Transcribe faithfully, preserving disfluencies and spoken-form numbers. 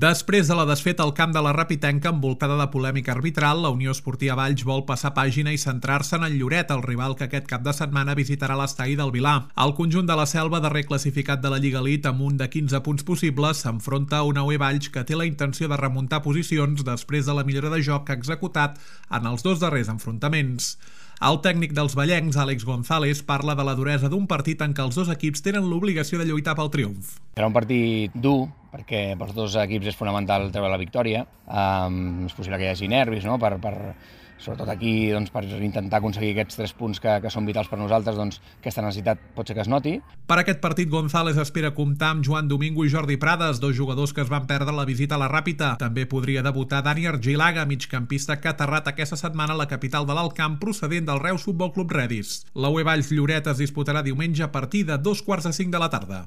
Després de la desfeta al camp de la Rapitenca envoltada de polèmica arbitral, la Unió Esportiva Valls vol passar pàgina i centrar-se en el Lloret, el rival que aquest cap de setmana visitarà l'estadi del Vilar. El conjunt de la Selva, darrer classificat de la Lliga Elite amb un de quinze punts possibles, s'enfronta a una U E Valls que té la intenció de remuntar posicions després de la millora de joc que ha executat en els dos darrers enfrontaments. El tècnic dels vallencs, Àlex González, parla de la duresa d'un partit en què els dos equips tenen l'obligació de lluitar pel triomf. Serà un partit dur, perquè pels dos equips és fonamental treure la victòria. Um, és possible que hi hagi nervis, no? per, per, sobretot aquí, doncs, per intentar aconseguir aquests tres punts que, que són vitals per nosaltres, doncs, aquesta necessitat pot ser que es noti. Per aquest partit, González espera comptar amb Joan Domingo i Jordi Prades, dos jugadors que es van perdre la visita a la Ràpita. També podria debutar Dani Argilaga, migcampista que ha aterrat aquesta setmana a la capital de l'Alt Camp procedent del Reus Futbol Club Redis. La U E Valls Lloret es disputarà diumenge a partir de dos quarts de cinc de la tarda.